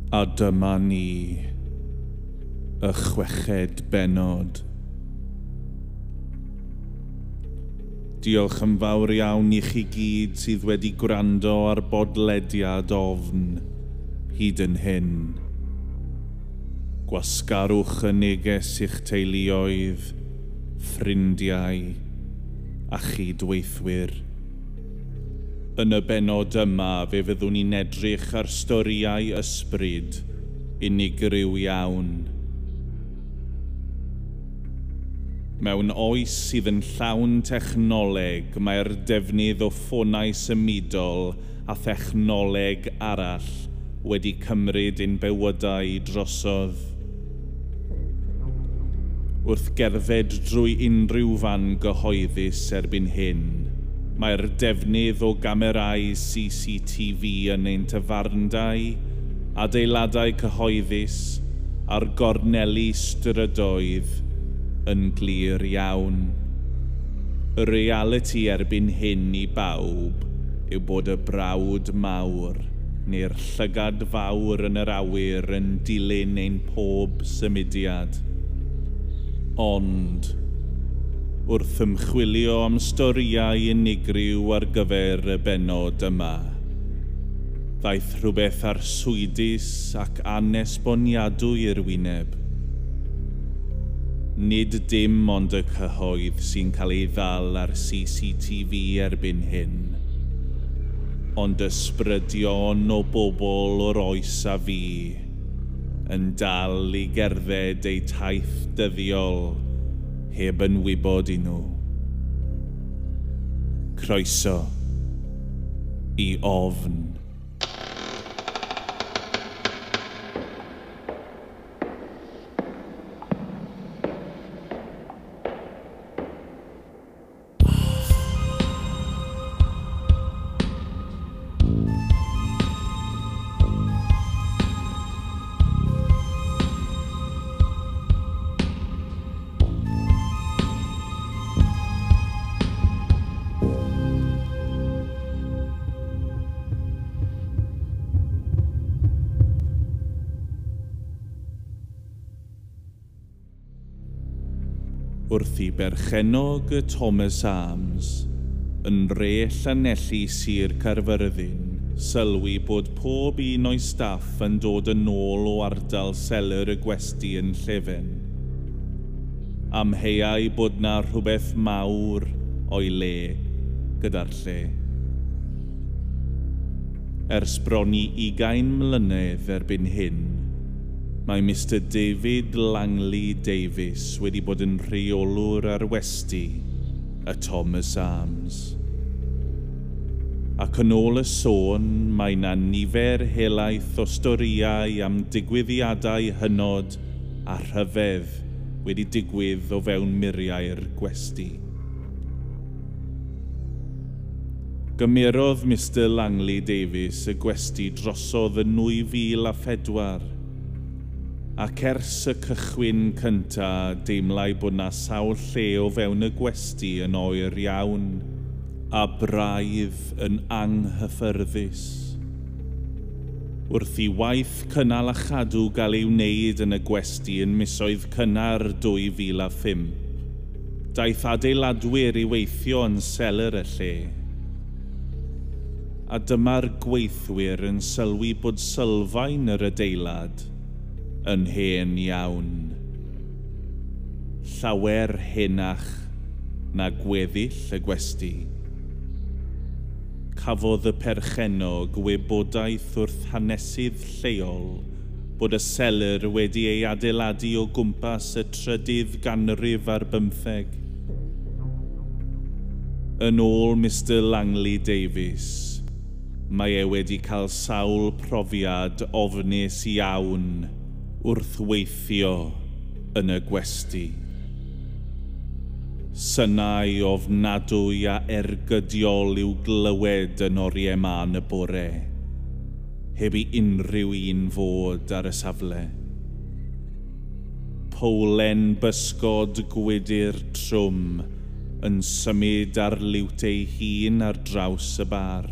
A dyma ni, y chweched bennod. Diolch yn fawr iawn i chi gyd sydd wedi gwrando ar bodlediad Ofn hyd yn hyn. Gwasgarwch y neges i'ch teuluoedd, ffrindiau a chydweithwyr. Yn y bennod yma fe fyddwn ni'n edrych ar storïau ysbryd unigryw iawn. Mewn oes sydd yn llawn technoleg, mae'r defnydd o ffonau symudol a thechnoleg arall wedi cymryd ein bywydau drosodd. Wrth gerdded drwy unrhyw fan gyhoeddus erbyn hyn, mae'r defnydd o gamerâu CCTV yn ein tafarndai, adeiladau cyhoeddus a'r gorneli strydoedd yn glir iawn. Y realiti erbyn hyn i bawb yw bod y brawd mawr neu'r llygad fawr yn yr awyr yn dilyn ein pob symudiad. Ond, wrth ymchwilio am storïau unigryw ar gyfer y bennod yma, ddaeth rhywbeth arswydus ac anesboniadwy i'r wyneb. Nid dim ond y cyhoedd sy'n cael ei ddal ar CCTV erbyn hyn, ond ysbrydion o bobl o'r oes a fu yn dal i gerdded eu taith dyddiol heb yn wybod i nhw. Croeso i Ofn. Wrth i berchennog y Thomas Arms yn re Llanelli Sir Caerfyrddin sylwi bod pob un o'i staff yn dod yn ôl o ardal seler y gwesty yn Llefen. Amheuai bod 'na rhywbeth mawr o'i le gyda'r lle. Ers bron i 20 mlynedd erbyn hyn, mae Mr David Langley Davies wedi bod yn rheolwr ar westy y Thomas Arms. Ac yn ôl y sôn, mae 'na nifer helaeth o storïau am digwyddiadau hynod a rhyfedd wedi digwydd o fewn muriau'r gwesty. Gymerodd Mr Langley Davies y gwesty drosodd yn 2004, ac ers y cychwyn cynta deimlai bod 'na sawl lle o fewn y gwesty yn oer iawn, a braidd yn anghyffyrddus. Wrth i waith cynnal a chadw gael ei wneud yn y gwesty yn misoedd cynnar 2005, daeth adeiladwyr i weithio yn seler y lle. A dyma'r gweithwyr yn sylwi bod sylfaen yr adeilad yn hen iawn. Llawer henach na gweddill y gwesty. Cafodd y perchennog wybodaeth wrth hanesydd lleol bod y seler wedi ei adeiladu o gwmpas y 13rd ganrif. Yn ôl Mr Langley Davies, mae e wedi cael sawl profiad ofnus iawn wrth weithio yn y gwesty. Synau ofnadwy a ergydiol i'w glywed yn oriau mân y bore, heb i unrhyw un fod ar y safle. Powlen bysgod gwydr trwm yn symud ar liwt ei hun ar draws y bar,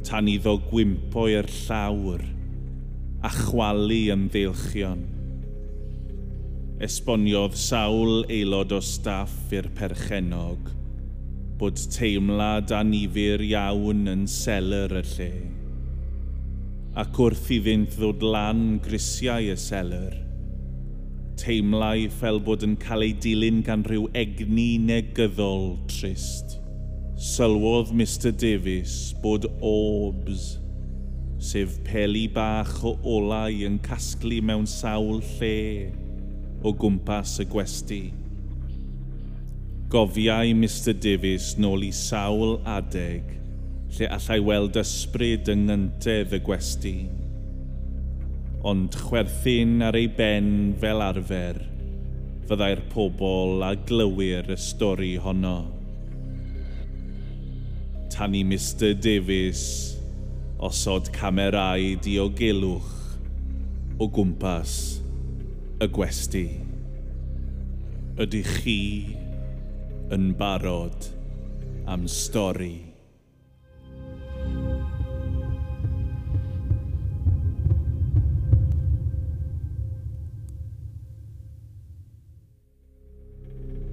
tan iddo gwympo i'r llawr a chwalu ymddeilchion. Esboniodd sawl aelod o staff i'r perchennog bod teimlad annifyr iawn yn seler y lle. Ac wrth iddynt ddod lan grisiau y seler, teimlai fel bod yn cael ei dilyn gan rhyw egni negyddol trist. Sylwodd Mr Davies bod orbs, sef peli bach o olau yn casglu mewn sawl lle o gwmpas y gwesty. Gofiai Mr Davies nôl i sawl adeg lle allai weld ysbryd yng nghyntedd y gwesty. Ond chwerthin ar ei ben fel arfer, fyddai'r pobl a glywir y stori honno. Tan i Mr Davies osod camerâu diogelwch o gwmpas y gwesty. Ydych chi yn barod am stori?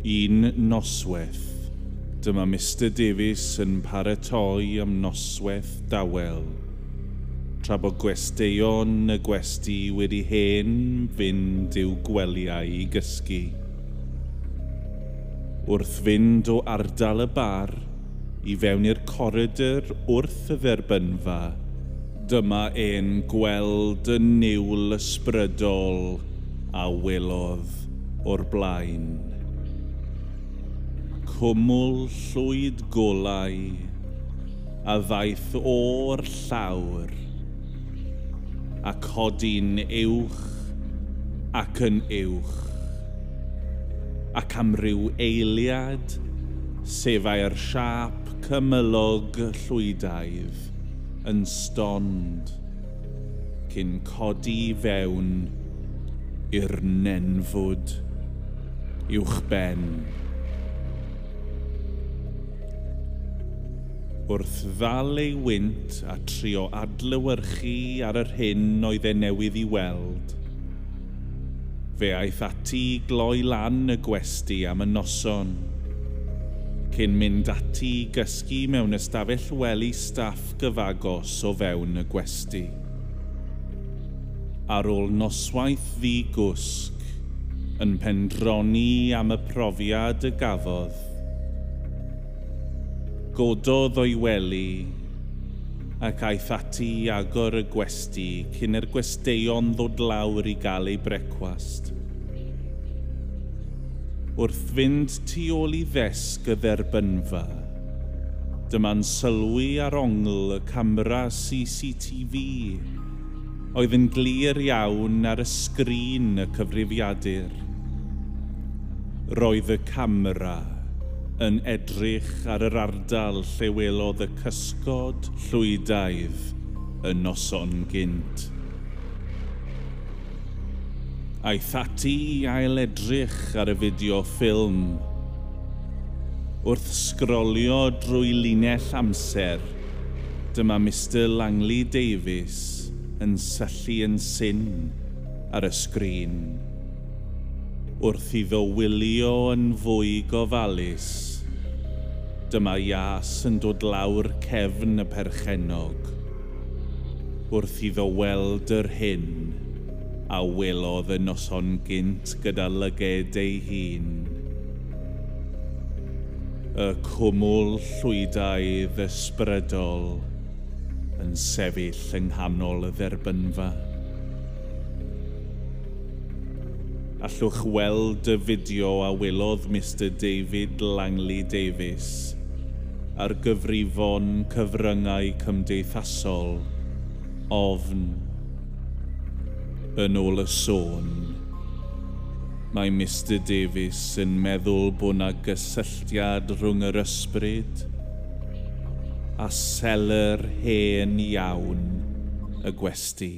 Un noswaith, dyma Mr Davies yn paratoi am noswaith dawel, tra bod gwesteion y gwesty wedi hen fynd i'w gwelyau i gysgu. Wrth fynd o ardal y bar i fewn i'r coridor wrth y dderbynfa, dyma e'n gweld y niwl ysbrydol a welodd o'r blaen. Cwmwl llwyd golau a ddaeth o'r llawr a codi'n uwch ac yn uwch, ac am ryw eiliad sefai'r siâp cymylog llwydaidd yn stond cyn codi fewn i'r nenfwd uwchben. Wrth ddal ei wynt a trio adlewyrchu ar yr hyn oedd e newydd i weld, fe aeth ati i gloi lan y gwesty am y noson, cyn mynd ati i gysgu mewn ystafell wely staff gyfagos o fewn y gwesty. Ar ôl noswaith ddi-gwsg, yn pendroni am y profiad y gafodd, gododd o'i wely ac aeth ati i agor y gwesty cyn i'r gwesteion ddod lawr i gael eu brecwast. Wrth fynd tu ôl i ddesg y dderbynfa, dyma'n sylwi ar ongl y camera CCTV oedd yn glir iawn ar y sgrin y cyfrifiadur. Roedd y camera yn edrych ar yr ardal lle welodd y cysgod llwydaidd y noson gynt. Aeth ati i ail-edrych ar y fideo ffilm. Wrth sgrolio drwy linell amser, dyma Mr Langley Davies yn syllu yn syn ar y sgrin. Wrth iddo wylio yn fwy gofalus, dyma ias yn dod lawr cefn y perchennog. Wrth iddo weld yr hyn a welodd y noson gynt gyda lyged ei hun. Y cwmwl llwydaidd ysbrydol yn sefyll yng nghanol y dderbynfa. Allwch weld y fideo a welodd Mr David Langley Davies ar gyfrifon cyfryngau cymdeithasol ofn. Yn ôl y sôn, mae Mr Davies yn meddwl bod 'na gysylltiad rhwng yr ysbryd a seler hen iawn y gwesty.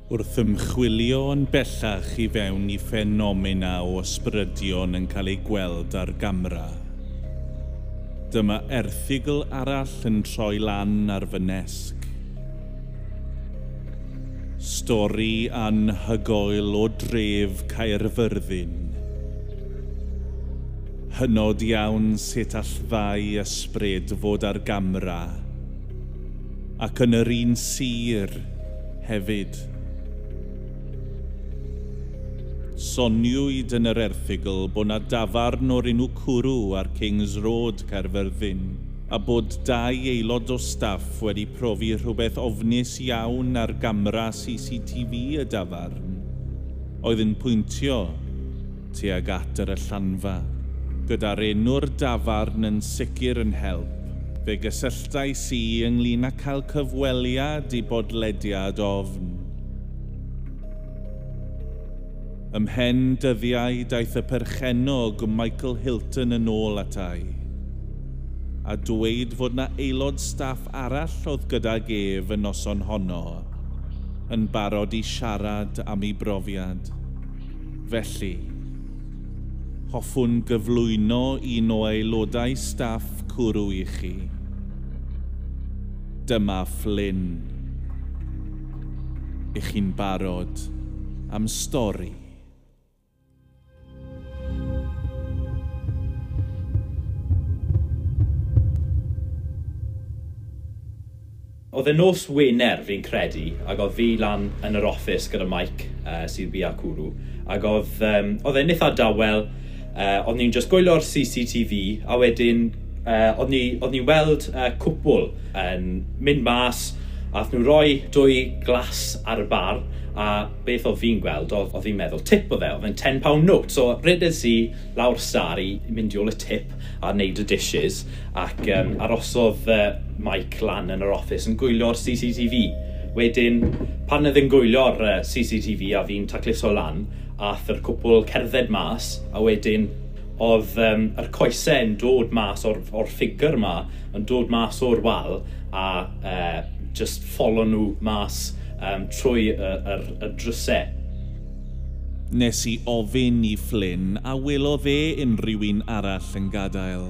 Wrth ymchwilio yn bellach i fewn i ffenomena o ysbrydion yn cael eu gweld ar gamra, dyma erthygl arall yn troi lan ar fy nesg. Stori anhygoel o dref Caerfyrddin. Hynod iawn sut all ddau ysbryd fod ar gamra, ac yn yr un sir hefyd. Soniwyd yn yr erthygl bod 'na dafarn o'r enw Cwrw ar Kings Road, Caerfyrddin, a bod dau aelod o staff wedi profi rhywbeth ofnus iawn ar gamra CCTV y dafarn, oedd yn pwyntio tuag at yr allanfa. Gyda'r enw'r dafarn yn sicr yn help, fe gysylltais i ynglyn â cael cyfweliad i bodlediad Ofn. Ymhen dyddiau daeth y perchennog Michael Hilton yn ôl atai, a dweud fod 'na aelod staff arall oedd gydag ef y noson honno, yn barod i siarad am ei brofiad. Felly, hoffwn gyflwyno un o aelodau staff Cwrw i chi. Dyma Flynn. Ych chi'n barod am stori? Oedd e nos Wener fi'n credu, ac oedd fi lan yn yr office gyda Mike, sydd bia Cwrw, ac oedd e'n eitha dawel, oedd ni'n just gwylio'r CCTV, a wedyn oedd ni'n weld cwpl yn mynd mas, a ath nhw roi dwy glas ar y bar, a beth oedd fi'n gweld, oedd fi'n meddwl tip oedd e, oedd e'n £10 note, so redes i lawr star i mynd i ôl y tip a wneud y dishes, ac arosodd Mike lan yn yr office yn gwylio'r CCTV. Wedyn, pan oedd e'n gwylio'r CCTV a fi'n tacluso lan, ath yr cwpl cerdded mas, a wedyn oedd yr coesau yn dod mas o'r ffigur ma, yn dod mas o'r wal, a just follow nhw mas trwy y drysau. Nes i ofyn i Flynn a welodd e unrhyw un arall yn gadael.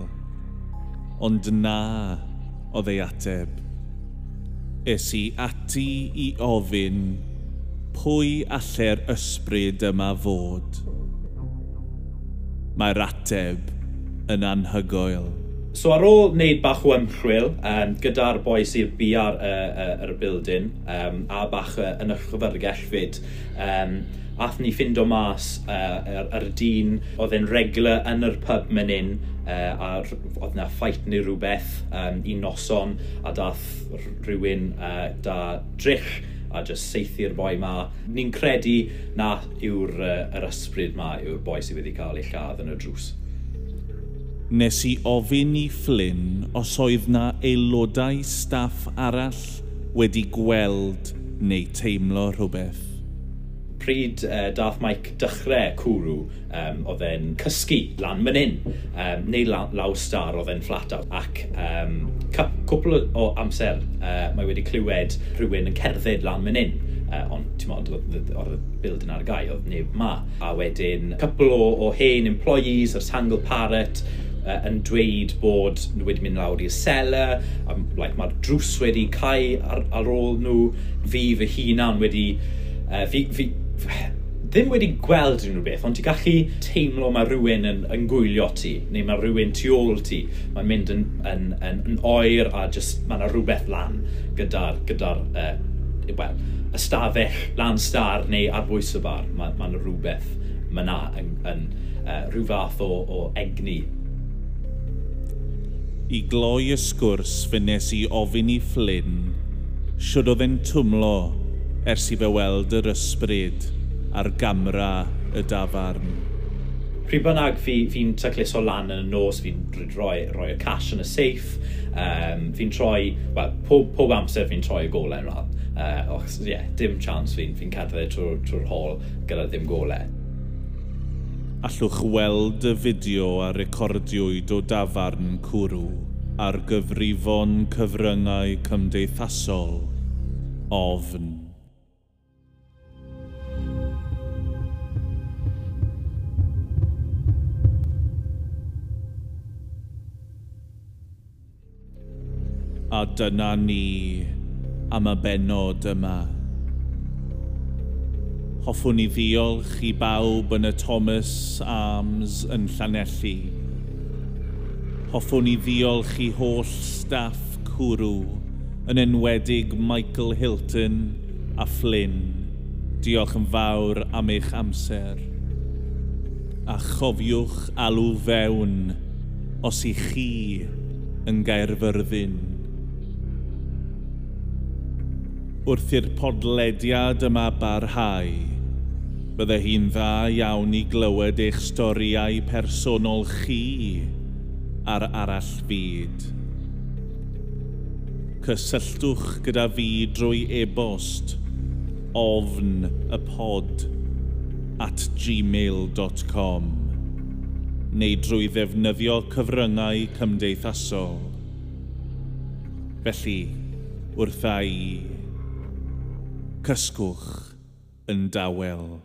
Ond na, oedd ei ateb. Es i ati i ofyn pwy alle'r ysbryd yma fod. Mae'r ateb yn anhygoel. So ar ôl wneud bach o ymchwil gyda'r boi sydd bia'r yr building a bach yn y llyfrgell fyd, ath ni ffindo mas yr dyn oedd e'n regular yn yr pub man hyn, a oedd na fight neu rhywbeth un noson, a dath rhywun da drych a just saethu'r boi ma. Ni'n credu na yw'r yr ysbryd ma yw'r boi sydd wedi cael ei lladd yn y drws. Nes i ofyn i Flynn os oedd na aelodau staff arall wedi gweld neu teimlo rhywbeth. Pryd dath Mike dechrau Cwrw, oedd e'n cysgu lan man hyn, neu lawr star oedd e'n flat out. Ac cwpl o amser mae wedi clywed rhywun yn cerdded lan man hyn. Ond ti'n modd, oedd y building ar gau, oedd neb ma. A wedyn, cwpl o hen employees, yr Tangle Parrot, yn dweud bod nhw wedi mynd lawr i'r cellar, a like, mae'r drws wedi cau ar ôl nhw. Fi fy hunan wedi... Fi ddim wedi gweld unrhyw beth, ond ti'n gallu teimlo mae rhywun yn gwylio ti, neu mae rhywun tu ôl ti. Mae'n mynd yn oer a just mae yna rhywbeth lan gyda'r well, ystafell lan star neu ar bwys y bar. Mae yna rhywbeth mae yna yn rhyw fath o egni. I gloi y sgwrs fe nes i ofyn i Flynn shwd oedd e'n twmlo ers i fe weld yr ysbryd ar gamra y dafarn. Pryd bynnag fi'n tacluso lan yn y nos, fi'n rhoi y cash yn y safe, fi'n troi, well, pob amser fi'n troi y golau ymlaen. Yeah, dim chance fi'n cerdded trwy'r hall gyda ddim golau. Allwch weld y fideo a recordiwyd o dafarn Cwrw ar gyfrifon cyfryngau cymdeithasol Ofn. A dyna ni am y bennod yma. Hoffwn i ddiolch i bawb yn y Thomas Arms yn Llanelli. Hoffwn i ddiolch i holl staff Cwrw, yn enwedig Michael Hilton a Flynn. Diolch yn fawr am eich amser. A chofiwch alw fewn os i chi yn Gaerfyrddin. Wrth i'r podlediad yma barhau, bydde hi'n dda iawn i glywed eich storïau personol chi ar arall fyd. Cysylltwch gyda fi drwy e-bost ofnypod@gmail.com neu drwy ddefnyddio cyfryngau cymdeithasol. Felly, wrtha i, cysgwch yn dawel.